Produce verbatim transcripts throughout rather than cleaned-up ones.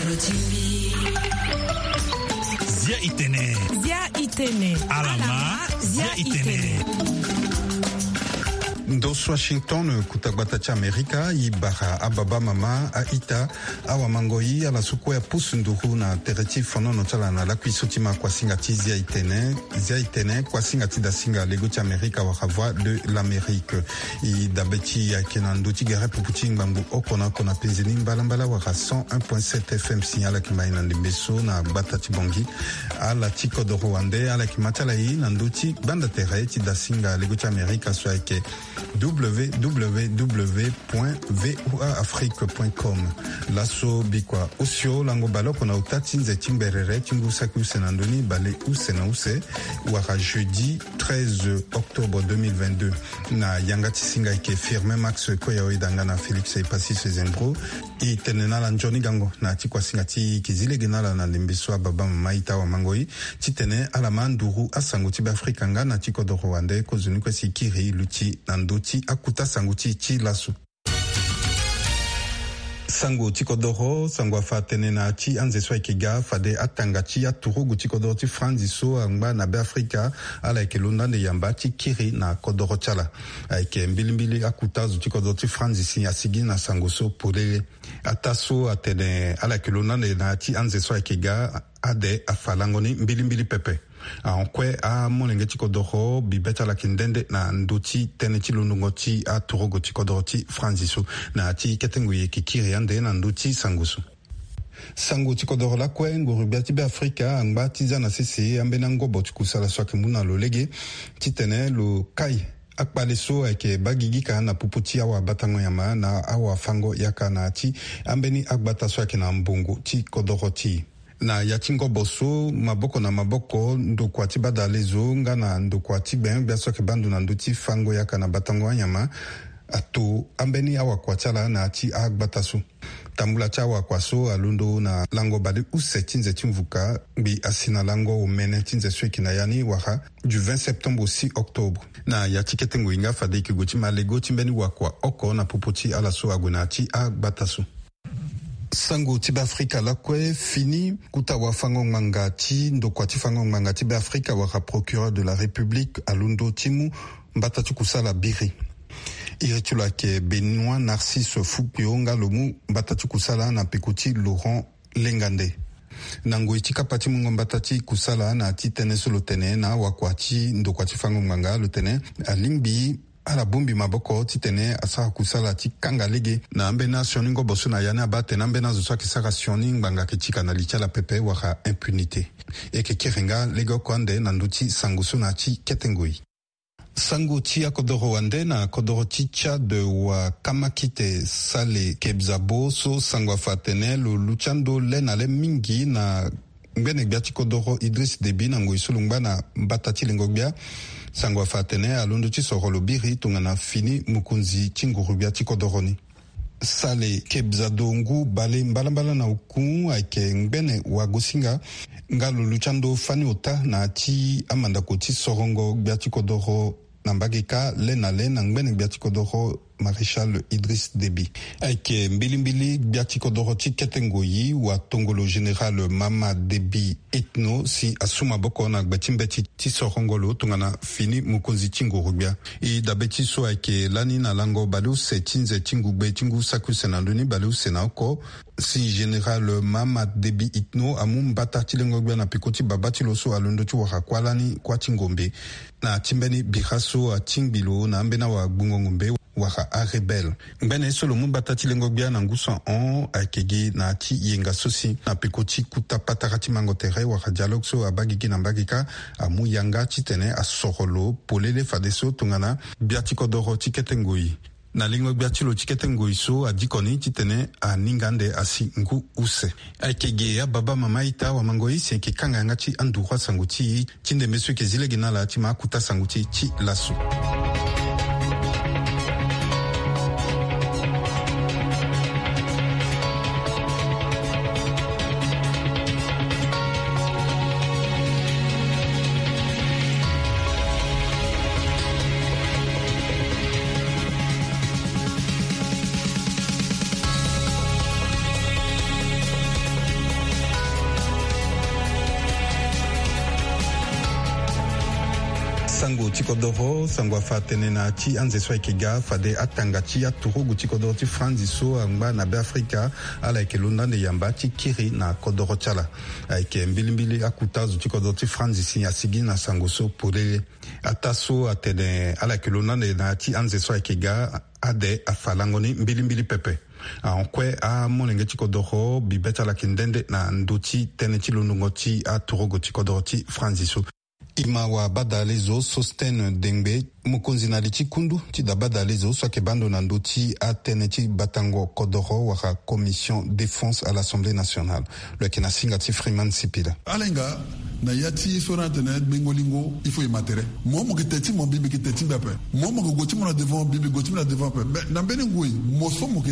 Zia itene. Zia itene. Alama. Zia itene. Ndo so Washington, kota gbata ti Amerika, e bara ababa, mama, a-ita, awamangoi, ala so kue apusu nduru na tere ti fonono ti ala na lakui so ti ma kuasinga ti Zia itene. Zia itene, kuasinga ti dasinga lego ti Amerika wala Voix de l'Amérique. E dabe ti e ayeke na ndö ti gere pupu ti ngbangbo oko na oko na penze ni mbalambala wala cent un point sept F M si ala yeke ma e na ndembe so na gbata ti Bangui. Ala ti kodoro wande ala yeke ma ti ala e na ndö ti gbanda tere ti dasinga lego ti Amerika so ayeke www point voa afrique point com. Laso bikua osio lango baleoko na ota ti nze ti mberere ti ngu saki use na ndö ni bale use na use wala jeudi treize octobre deux mille vingt-deux. Na yanga ti singa ayeke Firmin Max Koya Oyedanga na Félix Epassis Zembro. E tene na ala nzoni gango na ya ti kuasinga ti e, e yeke zi lege na ala na ndembe so ababa, mama, a-ita, awamangoi, titene ala ma nduru asango ti Beafrika nga na ti kodoro wande kozoni kue si e kiri e luti na ndö ti akuta sango ti e ti laso. Sango ti kodoro, sango afa atene na ya ti anze so ayeke ga fade atanga ti aturugu ti kodoro ti Franzi so angba na Beafrika, ala yeke londo ande yamba ti kiri na kodoro ti ala. Ayeke mbilimbili akuta azo ti kodoro ti Franzi si asigi na sango so polele. Ataa so atene ala yeke londo ande na ya ti anze so ayeke ga, ade afa lango ni mbilimbili pepe. Ahon kue amolenge ti kodoro bibe ti ala yeke nde nde na ndö ti tënë ti londongo ti aturugu ti kodoro ti Franzi so. Na ya ti kete ngoi e yeke kiri ande na ndö ti sango so. Sango ti kodoro lakue, nguru-gbia ti Beafrika angba ti za na sese ambeni angobo ti kusala so ayeke mu na lo lege titene lo kai akpale so ayeke baa gigi ka na popo ti awabatango nyama na awafango yaka na ya ti ambeni agbata so ayeke na mbongo ti kodoro ti e. Na ya ti ngobo so, maboko na maboko, ndokua ti badalezo nga na ndokua ti gbenyo-gbia so ayeke baa ndo na ndö ti fango yaka na batango anyama ato ambeni awakua ti ala na ya ti agbata so. Tambula ti awakua so alondo na lango baleuse ti nze ti mvuka, ngbii asi na lango omene ti nze so e yeke na ya ni wala du vingt septembre au six octobre. Na ya ti kete ngoi nga fade e yeke gue ti ma lego ti mbeni wakua oko na popo ti ala so ague na ya ti agbata so. Sango ti Beafrika lakue fini, kota wafango-ngbanga ti ndokua ti fango-ngbanga ti Beafrika wala Procureur de la République alondo ti mu mbata ti kusala biri. Iri ti lo ayeke Benoît Narcisse Fukpio nga lo mu mbata ti kusala na peko ti Laurent Lengande. Na ngoi ti kapa ti mungo mbata ti kusala na ya ti tënë so lo tene na awakua ti ndokua ti fango-ngbanga, lo tene alingbi ala bongbi maboko titene asara kusala ti kanga lege na ambeni asioni ngobo so na ya ni abaa atene ambeni azo so ayeke sara sioni ngbanga ayeke ti ka na li ti ala pepe wala impunité. E yeke kiri nga legeoko ande na ndö ti sango so na ya ti kete ngoi. Sango ti akodoro wande na kodoro ti Tchad, wakamakite Saleh Kebzabo so sango afa atene lo luti ando le na le mingi na ngbene gbia ti kodoro Idriss Déby na ngoi so lo ngba na mbata ti lengo-gbia. Sango afa atene alondo ti soro lo biri tongana fini mokonzi ti nguru-gbia ti kodoro ni. Saleh Kebzabo ngu bale mbalambala na oku ayeke ngbene wagosinga nga lo luti ando fani ota na ya ti amandako ti sorongo gbia ti kodoro na mbage kâ le na le na ngbene gbia ti kodoro Maréchal Idriss Déby. Ayeke mbilimbili gbia ti kodoro ti kete ngoi watongolo Général Mahamat Déby Itno si asu maboko na gbe ti mbeti ti sorongo lo tongana fini mokonzi ti nguru-gbia. E dabe ti so ayeke lani na lango baleuse ti nze ti ngugbe ti ngu saki use na ndö ni baleuse na oko, si Général Mahamat Déby Itno amu mbata ti lengo-gbia na peko ti babâ ti lo so alondo ti wara kuâ lani kuâ ti ngombe. Na ti mbeni bira so atingbi lo na ambeni awagbungo ngombe wala arebelle. Ngbene so lo mu mbata ti lengo-gbia na ngu so ahon ayeke gi na ya ti yenga so si na peko ti kota patara ti mango tere wala dialogue so abaa gigi na mbage kâ, amu yanga titene asoro lo polele fadeso tongana gbia ti kodoro ti kete ngoi. Na lengo-gbia ti lo ti kete ngoi so adiko ni titene aninga ande asi ngu use. Ayeke ge ababa, mama, ita, wamangoi, si e yeke kanga yanga ti anduru asango ti e ti ndembe so e yeke zi lege na ala ti ma akota sango ti e ti laso. Sango ti kodoro, sango afa atene na ya ti anze so ayeke ga fade atanga ti aturugu ti kodoro ti Franzi so angba na Beafrika, ala yeke londo ande yamba ti kiri na kodoro ti ala. Ayeke mbilimbili akuta azo ti kodoro ti Franzi si asigi na sango so polele. Ataa so atene ala yeke londo ande na ya ti anze so ayeke ga, ade afa lango ni mbilimbili pepe. Ahon kue amolenge ti kodoro bibe ti ala yeke nde nde na ndö ti tënë ti londongo ti aturugu ti kodoro ti Franzi so. E ma wabadalezo Sosthène Dengbe, mokonzi na li ti kundu ti dabadalezo so ayeke baa ndo na ndö ti atënë ti batango kodoro wala Commission Défense à l'Assemblée nationale. Lo yeke na singa ti Freeman Sipila. Ala hinga na ya ti so na atene gbengo lingo, il faut e ma tere. Mo, mo yeke te ti mo, mbi, mbi yeke te ti mbi ape. Mo, mo yeke gue ti mo na devant, mbi, mbi gue ti mbi na devant ape. Mais na mbeni ngoi, mo so mo yeke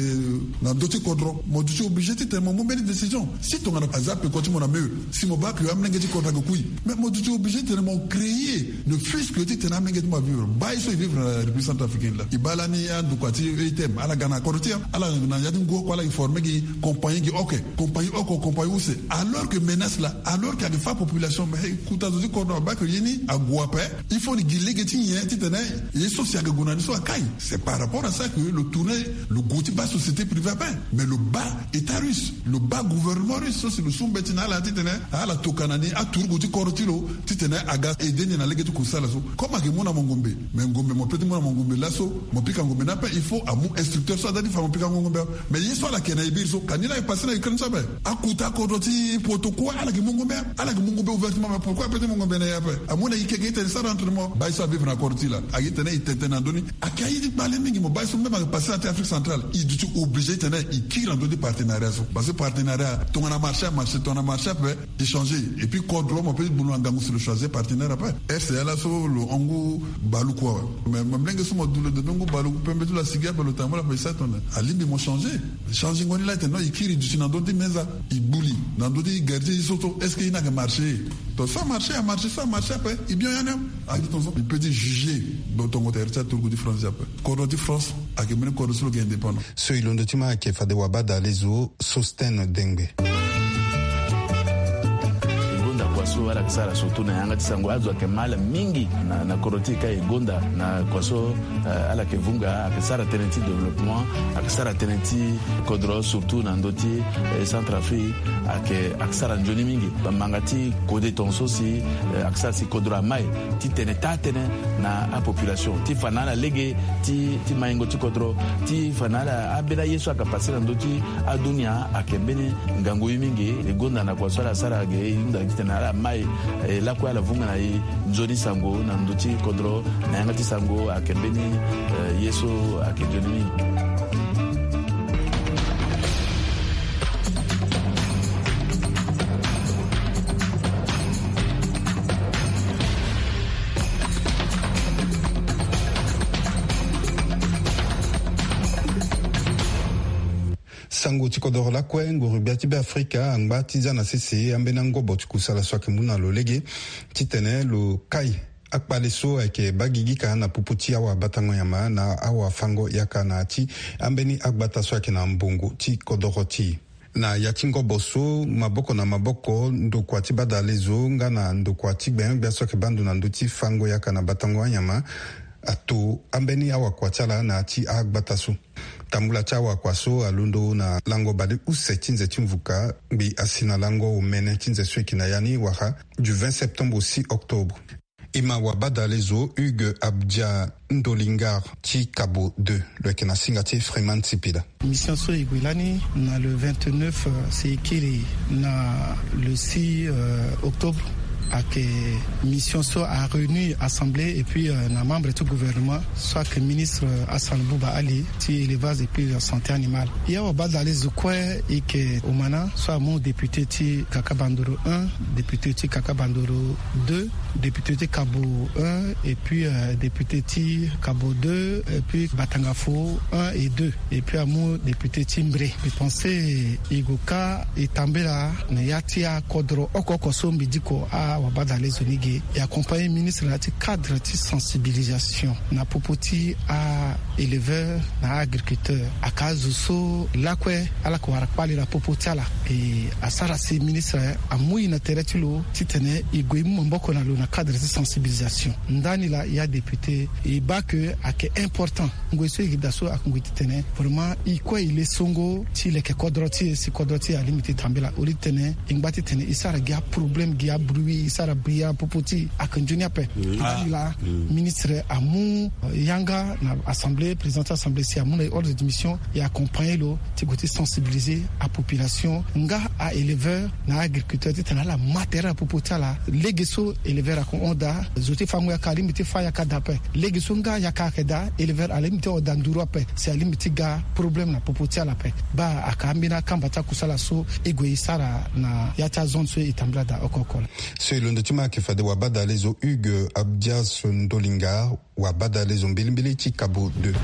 na ndö ti kodro, mo duti obligé titene mo mu mbeni décision. Si tongana aza peko ti mo na mur, si mo baa ke amolenge ti kodro ayeke kui, mais mo duti obligé titene mo créer, ne fût-ce que titene amolenge ti mo avivre. Baa ye so e vivre na République centrafricaine laa, e baa lani andokua ti E T M, ala ga na kodro ti e, ala na ya ti ngu oko, ala yeke former gi compagnie gi oko, compagnie oko, compagnie use. Alors que menace laa, alors que ayeke fâ population, mais kuta zo ti kodro abaa ke ye ni ague ape. Il faut ni gi lege ti nyen titene ye so si ayeke gue na ni so akai. C'est par rapport à ça que lo tourner lo gue ti baa société privée ape. Mais lo baa État russe, lo baa gouvernement russe so si lo su mbeti na ala titene ala tokua na ni aturugu ti kodro ti lo, titene aga aider ni na lege ti kusala so. Comme ayeke mu na mo ngombe, mais ngombe mo peut ti mu na mo ngombe laso, mo pika ngombe ni ape, il faut amu instructeur so aza ti fa mo pika ngombe. Mais ye so ala yeke na e biri so, ka ni laa e passé na Ukraine so ape. Akuta kodro ti poto kue ala yeke mu ngombe, ala yeke mu ngombe ouvertement. Mais pourquoi ape ti mu ngombe na e ape? Amu na e keke titene e sara entre mo. Baa ye so avivre na kodro ti e laa, aye titene e tene tënë na ndö ni. Ayeke aye ti kpale mingi. Mo baa ye so même ayeke passé na ya ti Afrique centrale, e duti obligé titene e kiri na ndö ti partenariat so. Parce que partenariat, tongana marché amarché, tongana marché ape, e changer. Et puis kodro mo peut ti bulu na ngangu si lo choisir partenaire ape. R C A laso lo hon ngu baluku awe. Mais mo molenge so mo du lo debe ngu baluku, pembe ti lo asigi ape, lo tambula ape, e sara tongana alingbi mo changer. Changengo ni laa e tene non, e kiri, e duti na ndö ti meza, e gbu li na ndö ti gardien ti so so. Est-ce que ye ni ayeke marché? Donc so amarché amarché, so amarché ape, e bien ya ni. Aye ti tongaso e peut ti juger. Donc tongo tere ti aturugu ti France ape. Kodro ti France ayeke mbeni kodro so lo yeke indépendant. So e londo ti ma ayeke fade wabadalezo Sosthène Dengbe. E gonda kua so ala yeke sara surtout na yanga ti sango, azo ayeke mal mingi na, na kodro ti e ka e gonda na kua so, eh, ala yeke vunga, ayeke sara tënë ti développement, ayeke sara tënë ti kodro surtout na ndö ti, eh, Centrafrique, ayeke, ayeke sara nzoni mingi. Bamanga ti kode tongaso si, eh, ayeke sara si kodro amai ti tene taa tënë na apopulation, ti fa na ala lege ti, ti maingo ti kodro, ti fa na ala ambeni aye so ayeke passé na ndö ti adunia. Ayeke mbeni ngangu ye mingi. E gonda na kua so ala sara ge, e hunda titene ala mai, eh, lakue ala vunga na e nzoni sango na ndö ti kodro. Na yanga ti sango ayeke mbeni, eh, ye so ayeke nzoni mingi. Sango ti kodoro lakue, nguru-gbia ti Beafrika angba ti za na sese ambeni angobo ti kusala so ayeke mu na lo lege titene lo kai akpale so ayeke baa gigi ka na popo ti awabatango nyama na awafango yaka na ya ti ambeni agbata so ayeke na mbongo ti kodoro ti e. Na ya ti ngobo so, maboko na maboko, ndokua ti badalezo nga na ndokua ti gbenyogbia so ayeke baa ndo na ndö ti fango yaka na batango anyama ato ambeni awakua ti ala na ya ti agbata so. Tambula ti awakua so alondo na lango bale use ti nze ti mvuka, ngbi asi na lango omene ti nze so e yeke na ya ni wala du vingt septembre au six octobre. E ma wabadalezo Hugues Abdia Ndolingar ti Cabo deux, lo yeke na singa ti Freeman Sipila. Mission so e gue lani na le vingt-neuf, euh, si e kiri na le six, euh, octobre. Ayeke mission so a réunir assemblée et puis, euh, na membre ti gouvernement so ayeke ministre, euh, Hassan Bouba Ali ti élevage et puis, euh, santé animale. Ya wabadalezo kue e yeke Omana so amu député ti Kaka Bandoro un, député ti Kaka Bandoro deux, député ti Cabo un, et puis, euh, député ti Cabo deux, et puis Batangafo un et deux, et puis amu député ti Mbre. E pensé e gue ka e tambela na ya ti akodro oko oko so mbi diko a Awabadalezo ni ge e accompagner ministre na ya ti cadre ti sensibilisation na popo ti a-éleveur na a-agriculteur. Aka azo so lakue ala ko wara kpale na popo ti ala. E asara si ministre amu e na tere ti lo titene e gue e mu maboko na lo na cadre ti sensibilisation. Ndani laa ya député e baa ke ayeke important ngoi so e gi daa so akongo e titene vraiment e kue e le songo ti leke kodro ti e si kodro ti e alingbi ti tambela au lieu titene e ngba titene e sara gi aproblème gi abruit e sara bria na popo ti e ayeke nzoni ape. Ndani laa ministre amu yanga na assemblée, président ti assemblée si amu na e ordre de mission e accompagner lo ti gue ti sensibiliser apopulation nga a-éleveur na a-agriculteur titene ala ma tere na popo ti ala. Lege so éleveur ako hon daa zo ti fango yaka alingbi ti fa yaka daa ape. Lege so nga yaka ayeke daa éleveur alingbi ti hon daa nduru ape si alingbi ti ga problème na popo ti ala ape. Baa aka ambeni akamba ti akusala so e gue e sara na ya ti azone so e tambula daa oko oko laa. So e londo ti ma ayeke fade wabadalezo Hugues Abdias Ndolinga. Wabadalezo mbilimbili ti Cabo deux.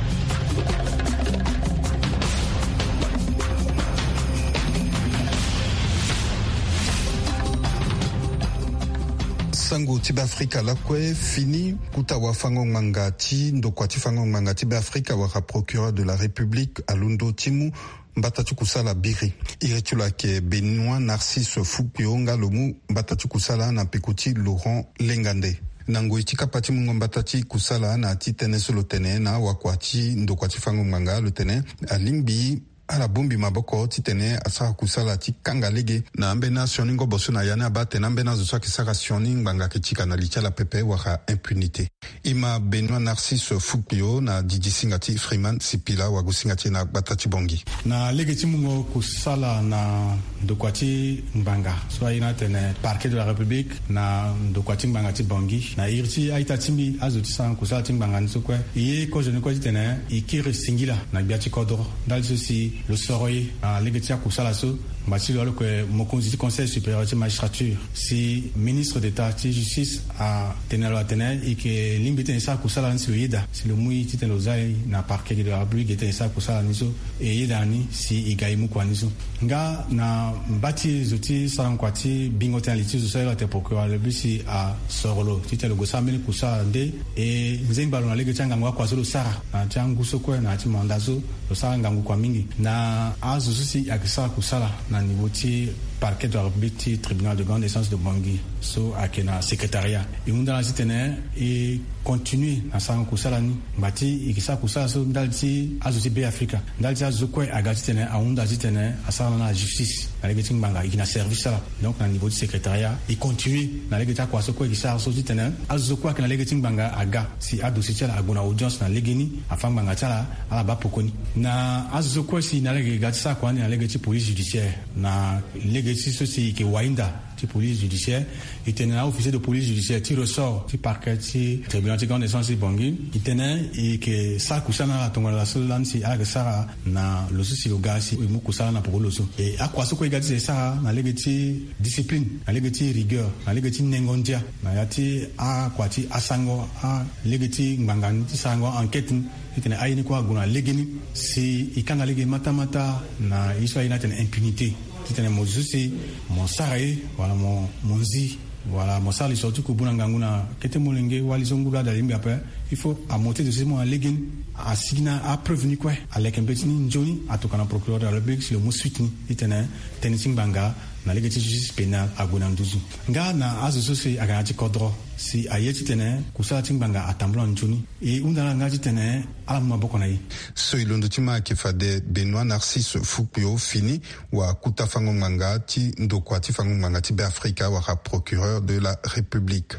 Sango ti Beafrika lakue fini. Kuta wafango-ngbanga ti ndokua ti fango-ngbanga ti Beafrika wala procureur de la République alondo ti mu mbata ti kusala biri. Iri ti lo ayeke Benoît Narcisse Fouquio nga lo mu mbata ti kusala na peko ti Laurent Lengande. Na ngoi ti kapa ti mungo mbata ti kusala na ya ti tënë so lo tene na wakua ti ndokua ti fango-ngbanga lo tene alingbi ala bongbi maboko titene asara kusala ti kanga lege na ambeni asioni ngobo so na ya ni abaa atene ambeni azo so ayeke sara sioni ngbanga ayeke ti ka na li ti ala pepe wala impunité. E ma Benoît Narcisse Fouquio na didi singa ti Freeman Sipila wagosinga ti e na gbata ti Bangui. Na lege ti mungo kusala na ndokua ti ngbanga so aye ni atene Parquet de la République na ndokua ti ngbanga ti Bangui, na iri ti a-ita ti mbi azo ti sara kusala ti ngbanga ni so kue, e ye kozo ni kue titene e kiri singila na gbia ti kodro ndali so si lo soro e na lege ti akusala so. Ngba ti lo aloke mokonzi ti Conseil supérieur ti magistrature si ministre d'État ti justice atene na lo atene e yeke lingbi titene e sara kusala ni si lo yeda si lo mu e titene lo za e na Parquet de la République titene e sara kusala ni so. E yeda na ni si e ga e mu kua ni so. Nga na mba ti zo ti sara kua ti bingo tënë na li ti zo so aye lo atene procureur de la République si asoro lo titene lo gue sara mbeni kusala nde e nzengba lo na lege ti angangu akua so lo sara na ya ti angu so kue na ya ti manda so. Lo sara ngangu kua mingi na azo so si ayeke sara kusala na niveau ti Parquet de la République ti Tribunal de grande instance de Bangui so ayeke na secrétariat. E hunda na ala titene e continue na sarango kusala ni. Ngba ti e yeke sara kusala so ndali ti azo ti Beafrika, ndali ti azo so kue aga titene ahunda titene asara na ala justice na lege ti ngbanga, e yeke na service ala. Donc na niveau ti secrétariat e continue na lege ti akua so kue e yeke sara so titene azo so kue ayeke na lege ti ngbanga aga si adossier ti ala ague na audience na legeni, afâ ngbanga ti ala, ala baa poko ni. Na azo so kue si na ala yeke ga ti sara kua ni na lege ti police judiciaire, na lege ti so si e yeke wainda ti police judiciaire, e tene na a-officier de police judiciaire ti ressort ti parquet ti tribunal ti grande instance ti Bangui, e tene e yeke sara kusala na ala tongana laso lani si ala yeke sara na lo so si lo ga si e mu kusala na poko ti lo so. E akua so kue e ga ti e sara na lege ti discipline, na lege ti rigueur, na lege ti nengo ndia na ya ti akua ti asango a lege ti ngbanga ni ti sarango enquête ni, titene aye ni kue ague na legeni si e kanga lege matamata na ye so aye ni atene impunité. Titene mo zo si mo sara ye wala mo, mo nzi wala mo sara lisoro ti kubu na ngangu na kete molenge wali so nguru ada lingbi ape, il faut amonte zo si mo na legeni, asigi na apreuve ni kue, aleke mbeti ni nzoni, atokua na procureur de la République si lo mu suite ni, titene tënë ti ngbanga na lege ti justice pénale ague na nduzu. Nga na azo so si aga na ya ti kodro si aye titene kusala ti ngbanga atambula nzoni, e hunda na ala nga titene ala mu maboko na e. So e londo ti ma ayeke fade Benoît Narcisse Fouquio fini, wa kuta fango ngbanga ti ndokua ti fango ngbanga ti Beafrika wala procureur de la République.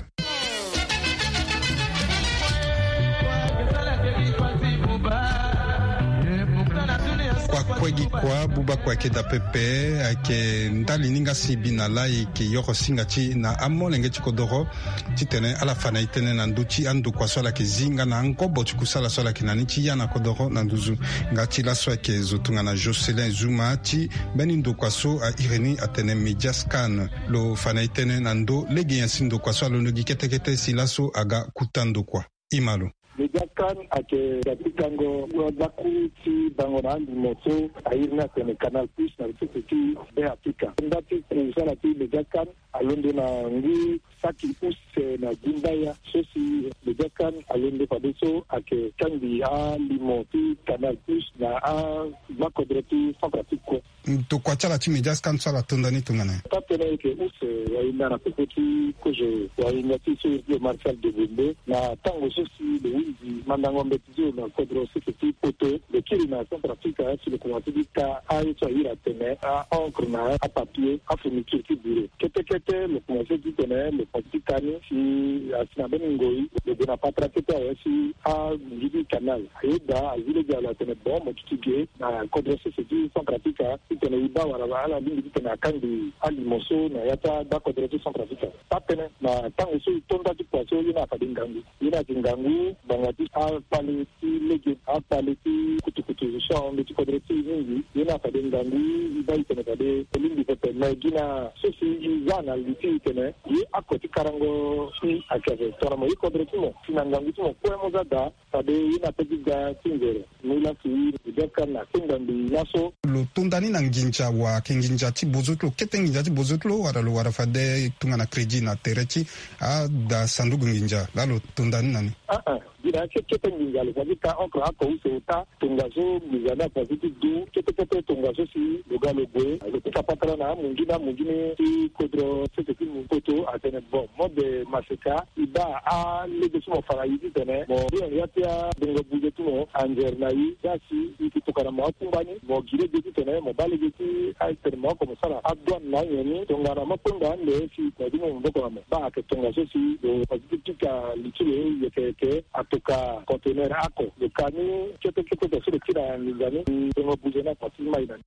Kua kue gi kua, buba kue ayeke daa pepe, ayeke ndali ni nga si e bi na laa e yeke yoro singa ti e na amolenge ti kodoro, titene ala fa na e tënë na ndö ti andokua so ala yeke zi nga na angobo ti kusala so ala yeke na ni ti ya na kodoro na nduzu. Nga ti laso ayeke zo tongana Jocelyn Zuma ti mbeni ndokua so a iri ni atene Mediascan. Lo fa na e tënë na ndö lege nyen si ndokua so alondo gi kete kete si laso aga kuta ndokua. E ma lo. Mediascan ayeke ga ti kango wadaku ti bango na andimo so a iri ni atene Canal Plus na sese ti Beafrika. Nda ti kusala ti Mediascan alondo na ngu Paki use na gumbaya so si le diakan alende fadeso ake kangbi alimo ti canal plus na agbakodro ti Centrafrique kue. Tokua ti ala ti média scan so ala tonda ni tongana nyen? Taa tënë eke use wahinda na popo ti kozo wahinda ti so iri ti le Marshal de Bombe na tango so si lo hunzi mandango mbeti ti lo na kodro sese ti poto, lo kiri na Centrafrique si lo komanse ti ka aye so ahiri atene a-encre na apapier, afourniture ti bureau. Kete kete lo komanse ti tene lo komanse ti ka ni si asi na mbeni ngoi lo gue na patara kete awe si amunzu ti canal. Ayeda azi lege alo atene bon mo duti ge na kodro sese ti Centrafrique titene e baa wala ala lingbi titene akangbi alimo so na ya ti agbakodro ti Centrafrique. Taa tënë na tango so e to nda ti kua so ye ni afade ngangu. Ye ni ayeke ngangu ngbanga ti akpale ti lege, akpale ti kutukutu so ahon ndö ti kodro ti e mingi. Ye ni afade ngangu e baa e tene fade e lingbi pepe. Me gi na so si e za na li ti e tene ye ako ti karango si ayeke ape tongana mo ye kodro ti mo si na ngangu ti mo kue mo za daa. Fade ye na pe ti ga ti nzere. Mu lasi e ga ka na kenda mbi laso. Lo tonda ni na nginza wa ayeke nginza ti bozo ti lo, kete nginza ti bozo ti lo, wala lo wara fade tongana crédit na tere ti ada sanduku nginza laa lo tonda ni na ni? Aa, gi na ya ti kete nginza lo fa ti ka encre ako use ota. Tongaso nginza ni afa ti du kete kete tongaso si lo ga lo gue lo pika patara na amunzu ni amunzu ni ti kodro sese ti poto atene bon mode maseka. E baa alege so mo fa na e titene mo hiri na ya ti abongo buze ti mo anzere na e. Za si e yeke tokua na mo akungba ni mo gi lege titene mo baa lege ti atene mo oko mo sara adouane na anyen ni tongana mo kpengba ande si mo dumu maboko na mo. Baa ayeke tongaso si lo fa ti pika li ti lo yeke yeke atoka conteneur ako lo ka ni kete kete so lo kiri na nginza ni. Bongo buze ni ako ti mai na ni.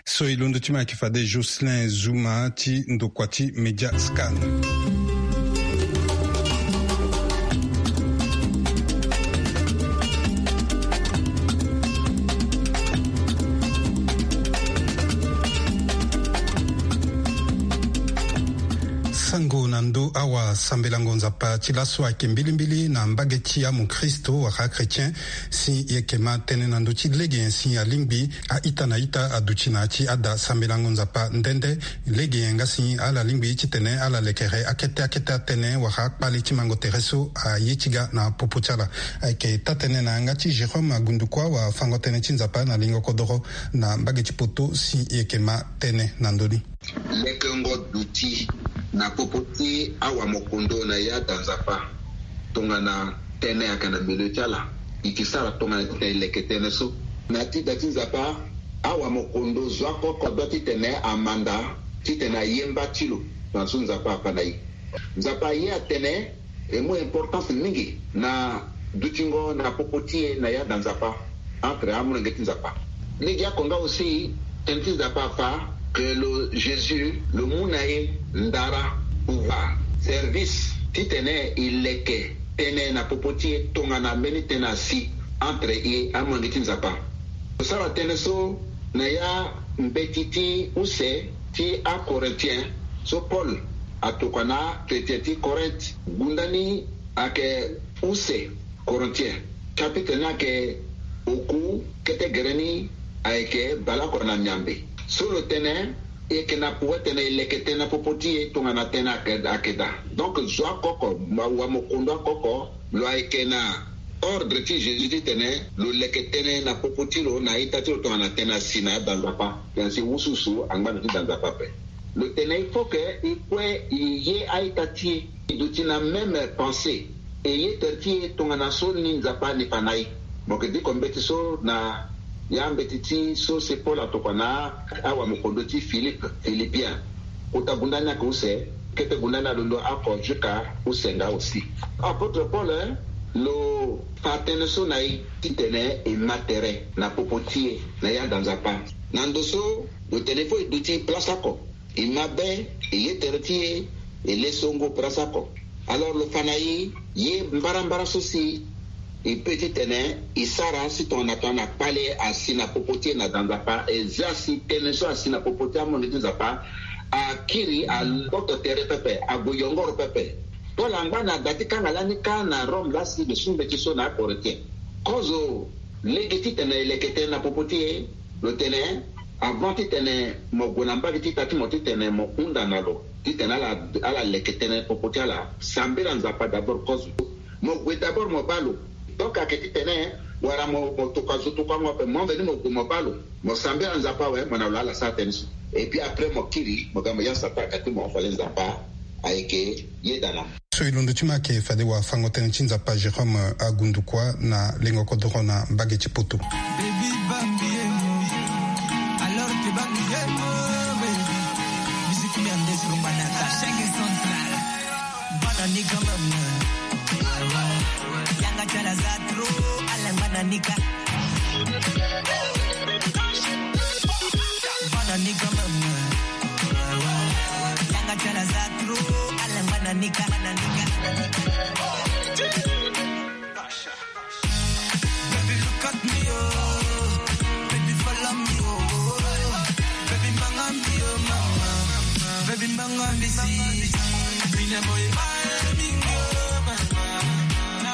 So e londo ti ma ayeke fade Jocelyn Zuma ti ndokua ti Media Scan. Sango na ndö awasambelango Nzapa ti laso ayeke mbilimbili na mbage ti amokristo wala achrétien. Si e yeke ma tënë na ndö ti lege nyen si alingbi a-ita na ita aduti na ya ti ada sambelango Nzapa nde nde. Lege nyen nga si ala lingbi titene ala lekere akete akete atënë wala akpale ti mango tere so aye ti ga na popo ti ala. Ayeke taa-tënë na yanga ti Jérôme Agundukua wafango-tënë ti Nzapa na lingo kodoro na mbage ti poto si e yeke ma tënë na ndö ni. Lekengo duti na popo ti awamokondo na ya da Nzapa. Tongana tënë ayeke na milieu ti ala, e ke sara tongana titene e leke tënë so. Na ya ti da ti Nzapa, awamokondo zo oko oko doit titene amanda titene aye mba ti lo. Tongana so Nzapa afa na e, Nzapa aye atene e mu importance mingi na dutingo na popo ti e na ya da Nzapa. Entre amolenge ti Nzapa. Lege oko nga aussi, tënë ti Nzapa afa ke lo Jésus lo mu na e ndara, pouvoir, service titene e leke tënë na popo ti e tongana mbeni tënë asi entre e amolenge ti Nzapa. Lo sara tënë so na ya mbeti ti use ti aCorinthiens so Paul atokua na achrétien ti Corinthe. Gunda ni ayeke use Corinthiens. Chapitre ni ayeke oku, kete gere ni ayeke baleoko na miambe. So lo tene e yeke na pouvoir titene e leke tënë na popo ti e tongana tënë ayeke, ayeke daa. Donc zo oko oko, wamokondo oko oko, lo ayeke na ordre ti Jésus titene lo leke tënë na popo ti lo na a-ita ti lo tongana tënë asi na ya da Nzapa. Tënë asi wusuwusu angba na ya ti da Nzapa ape. Lo tene il faut que e kue e ye a-ita ti e, e duti na même pensée, e ye tere ti e tongana so ni Nzapa ni fa na e. Mo yeke diko mbeti so na ya mbeti ti so si Paul atokua na awamokondo ti Philippe, Philippiens. Kota gunda ni ayeke use, kete gunda ni alondo oko jusqu'à use nga aussi. Apôtre Paul, eh, lo fa tënë so na e titene e ma tere na popo ti e na ya da Nzapa. Na ndo so lo tene fo e duti place oko, e ma be, e ye tere ti e, e le songo place oko. Alors lo fa na e ye mbarambara so si e peut titene e sara si tongana tongana kpale asi na popo ti e na da Nzapa, e za si tënë so asi na popo ti amolenge ti Nzapa akiri, agboto tere pepe, ague yongoro pepe. Paul angba na da ti kanga lani kâ na Rome laa si lo su mbeti so na aCorinthiens. Kozo lege titene e leke tënë na popo ti e, lo tene Avant titene mo gue na mbage ti ta ti mo titene mo hunda na lo titene ala ala leke tënë popo ti ala, sambela Nzapa d'abord kozo. Mo gue d'abord mo baa lo. Donc ayeke titene wala mo mo tokua zo tokuango ape, mo veni mo gue mo baa lo, mo sambela Nzapa awe, mo na lo ala sara tënë so. Et puis après mo kiri mo ga mo ya Satan ayeke ti mo, fade Nzapa ayeke yeda na mo. So e londo ti ma ayeke fade wafango-tënë ti Nzapa Jérôme Agundukua na lengo kodoro na mbage ti Poto. Baby bambi emo, alors que bambi emo, baby. Musique merde sur Manaka, Shenge Central. Bana ni quand même. Yanga chala za trop, ala bana ni ka. Bana ni quand même. Yanga chala za trop, ala bana ni ka, bana ni ka. Baby, look at me, oh. Baby, follow me, oh. Baby, manga me, oh, mama. Baby, manga me, see. Bina boy, my mingo, mama.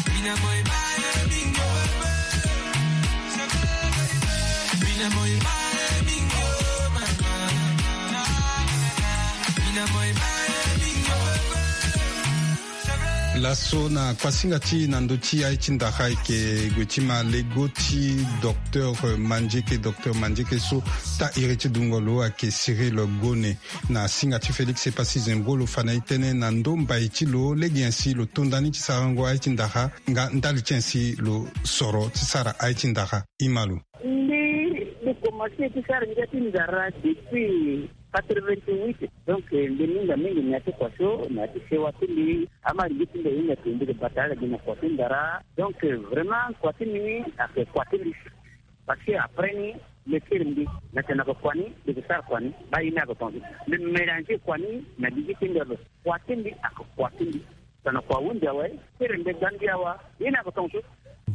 Bina boy, my mingo, mama. Bina boy, my mingo, mama. Bina boy, my mingo, mama. Laso na kuasinga ti na ndö ti aye ti ndara ayeke gue ti ma lego ti docteur Mandieke. Docteur Mandieke so taa iri ti dungo lo ayeke Cyril Gone. Na singa ti Félix Epassi Zembro lo fa na e tënë na ndö mbai ti lo lege nyen si lo to ndani ti sarango aye ti ndara nga ndali ti nyen si lo soro ti sara aye ti ndara. Ima lo. Mbi mbi komanse ti sara ngia ti ndara depuis quatre-vingt-huit. Donc mbi minga mingi na ya ti kua so na ya ti sewa ti mbi. Ama lingbi ti mbi ahinga ti mbi ke bata ala gi na kua ti ndara. Donc vraiment kua ti mbi ni ayeke kua ti mbi. Parce que après ni, le kiri mbi na tene ayeke kua ni, mbi ke sara kua ni, baa ye ni ayeke tongaso. Mbi mélanger kua ni na gigi ti mbi alo. Kua ti mbi ayeke kua ti mbi. Tongana kua ahunzi awe, kiri mbi ga ndia wa, ye ni ayeke tongaso.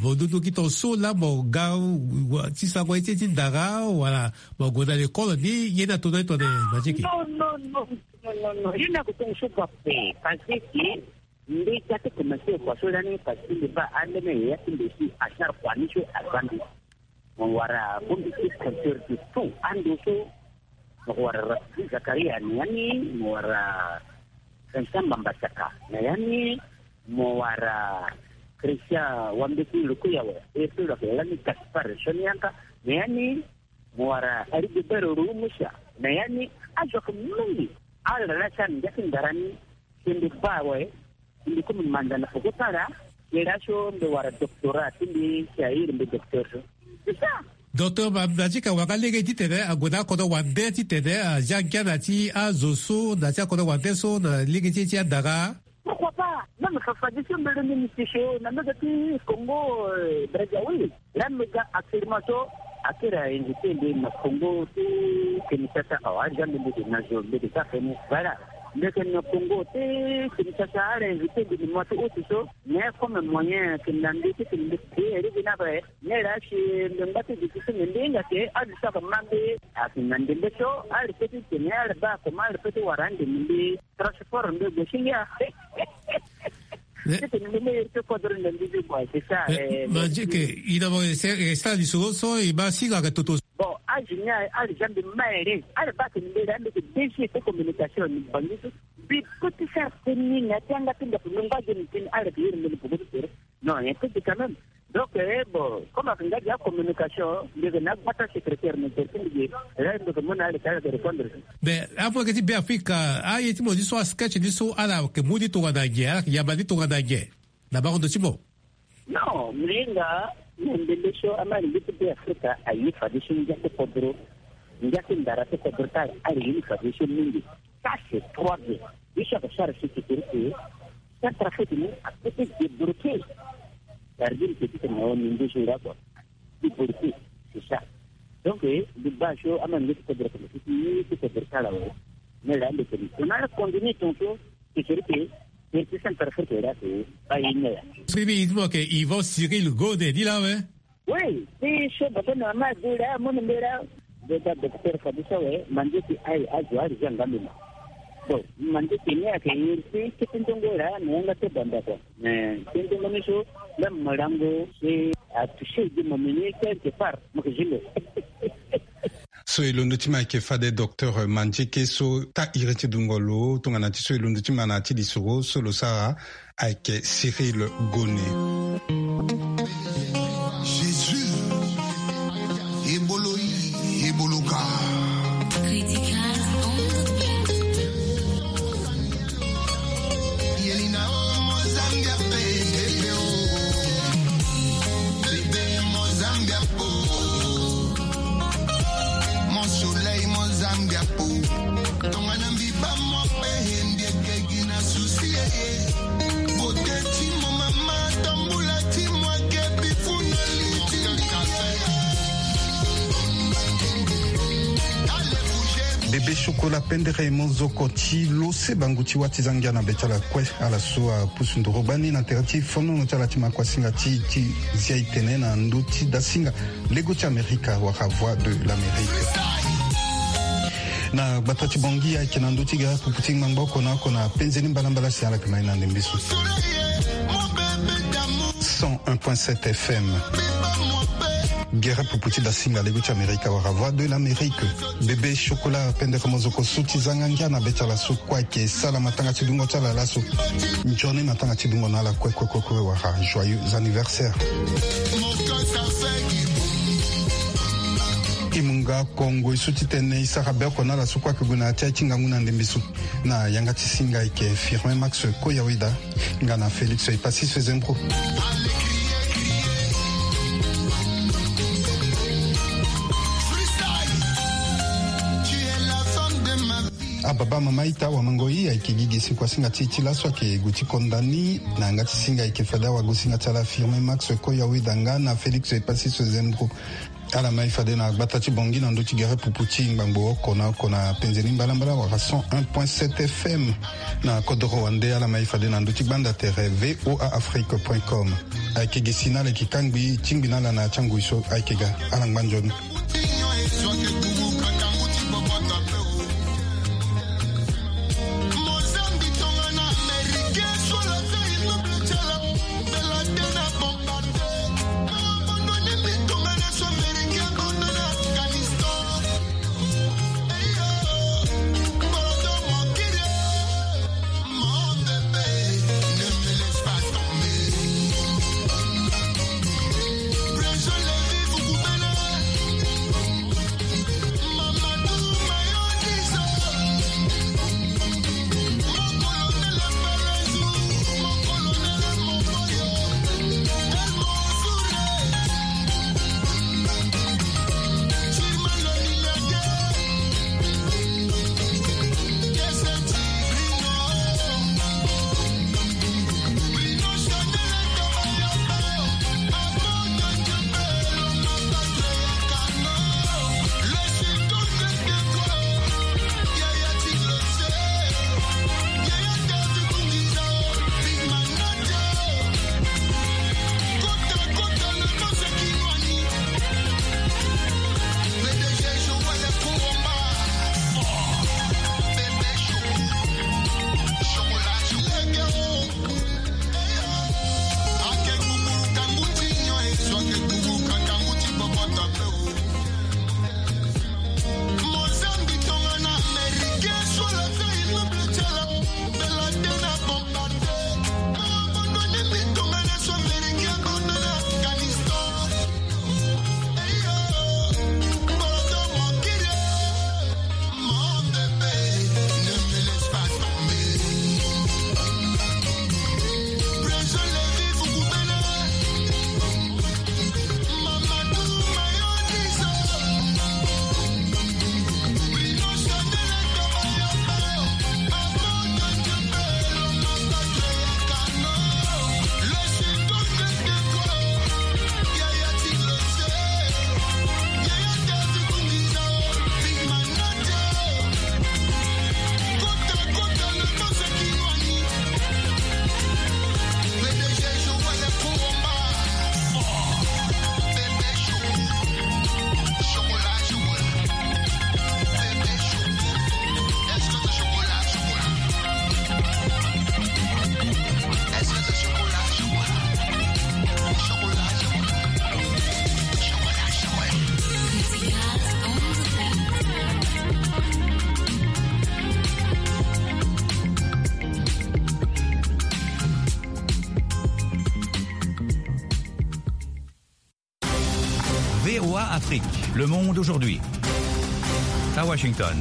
Mo dudu gi tongaso laa mo ga wa, ti sango ye ti, ti ndara, wala mo gue na lekole ni, ye ni ato na ye tongana Mandieke? Non, non, non, non, non, non. Ye ni ayeke tongaso kua ape. Parce que mbi ga ti komanse kua so lani, parce que mbi baa alene yaya ti mbi si asara kua ni so aza mbi. Mo wara bongbi ti compteur de tout ando so. Mo wara Rafiki Zakaria na ya ni, mo wara Vincent Mbambasaka na ya ni, mo wara Christian Wambeti Lukuyawe, e so lo yeke lani Gaspard Sonianka na ya ni, mo wara Rigobert Rumusa na ya ni. Azo ayeke mingi. Ala laa ti ala ngia ti ndara ni. Si mbi baa awe, mbi komi manda na poko ti ala. Ye laso mbi wara doctorat ti mbi, si a iri mbi docteur so. C'est ça. Docteur Ma-, Mandieke awara lege titene ague na akodro wande titene azia ngia na ti azo so na ti akodro wande so na lege ti e ti andara. Pourquoi pas? Même fa fade so mbi lingbi mbi ti so na mbage ti Congo, euh, Brazzaville. Laa mbi ga actuellement so akiri a invité mbi na Congo ti Kinshasa awa, azia mbi mbi ke na zo mbi ke ga feni. Voilà. Mbi ke na Congo ti Kinshasa, ala invité mbi na mois ti août so. Mais comme moyen ayeke na mbi titene mbi payé lege ni ape, mais laa si mbi ngba ti duti so mbi hinga ke azo so ayeke ma mbi ayeke na ndembe so, ala peut ti tene ala baa comment ala peut ti wara andembe mbi. Transport nde gue si ngia. Titene mbi me iri ti kodro na mbi ti bois, c'est ça. Eh, eh, Mandieke, i na mo e sara lisoro so e ma singa ayeke toto. Bon, azo ni aye, ala zia mbi ma ere. Ala baa tene mbi laa mbi yeke D G ti communication na Bangui so. Mbi peut ti sara tënë ni na ya ti yanga ti ndaku, mbi ngba ge na tënë, ala yeke iri mbi na poko ti tere. Non, un peu quand même. Donc, eh, bon, comme ayeke nga gi acommunication, mbi yeke na agbata secrétaire na tere ti mbi ge, là mbi yeke mu na ala, ala yeke répondre. Mais amu yeke ti Beafrika, aye ti mo ni so, asketch ni so, ala yeke mu ni tongana nyen, ala yeke yamba ni tongana nyen na bango ndo ti mo? Non, mbi hinga na ndembe so ama lingbi ti Beafrika aye fadeso ngia ti kodro, ngia ti ndara ti kodro ti ala, ala ye ni fadeso mingi. Ça, c'est trois bien. Ye so ayeke sara si ti tere ti Centrafrique ni apeut ti débloquer. Cest à dire que ti tene na ni nduzu nga kua. Débloquer, c'est ça. Donc, eh, mbi baa so ama nge ti kodro ti, ti kodro ti ala awe. Mais là, mbi tene, on a continué ton tour, c'est-à-dire que, eh, ti Centrafrique là, c'est pas une heure. Scribi, il faut que Yvon Cyril Gode, dit là, ouais. Oui, ti so bafo na mama adu laa amu na mbi laa. Mbi ga docteur fadeso awe, Mandieke aye azo ala zia nga mbi ma. Bon, Mandieke ni ayeke iri ti kete ndongo laa na yanga ti banda kua. Mais kete ndongo ni so, Même morango, c'est à toucher de mon meunier quelque part. Moi, je le. So e londo ti ma ayeke fade docteur Mandieke so taa iri ti dungo lo tongana ti so e londo ti ma na ya ti lisoro so lo sara ayeke Cyril Gone. Jésus, ebolo yi, ebolo ka. Critical. Yelina o, Mozambique, bebe o. Bebe Mozambique, po. Mon soleil, Mozambique, po. Tongana mbi ba mo pe, mbi eke gi na souci, eh, eh. Beauté ti mo mama, tambula ti mo ake bifuna liti. Bébé Chocolat, pendere mo zoko ti lo se bangu ti wâ ti za ngia na be ti ala kue. Ala so apusu nduru gbani na tere ti fonono ti ala ti makuasinga ti, ti zia e tene na ndö ti dasinga lego ti Amerika wala Voix de l'Amérique. Na gbata ti Bangui ayeke na ndö ti gere pupu ti ngbangbo oko na oko na penze ni mbalambala si ala yeke ma e na ndembe so. Cent un point sept F M. Gere pupu ti dasinga lego ti Amerika wala Voix de l'Amérique. Bébé Chocolat, pendere mo zoko so ti za ngia na be ti ala so kue ayeke sala matanga ti dungo ti ala laso. Nzoni matanga ti dungo na ala kue kue kue kue wala joyeux anniversaire. E mu nga kongo e so ti tene e sara be oko na ala so kue ayeke gue na ya ti aye ti ngangu na ndembe so. Na yanga ti singa ayeke Firmin Max Koyaweda nga na Félix Epassis Zembro. Ababa mama ita, awamango i ayeke gi gi si kuasinga ti e ti laso ayeke gue ti konda ni. Na yanga ti singa ayeke fade awagosinga ti ala Firmin Max Koyaweda nga na Félix Epassis Zembro. Ala ma e fade na gbata ti Bangui na ndö ti gere pupu ti ngbangbo oko na oko na penze ni mbalambala wala cent un point sept F M. Na kodoro wande ala ma e fade na ndö ti gbanda tere V O A Afrique point com. Ayeke gi si na ala yeke kangbi tingbi na ala na ya ti angui so ayeke ga. Ala ngba nzoni. Afrique, le monde aujourd'hui. À Washington.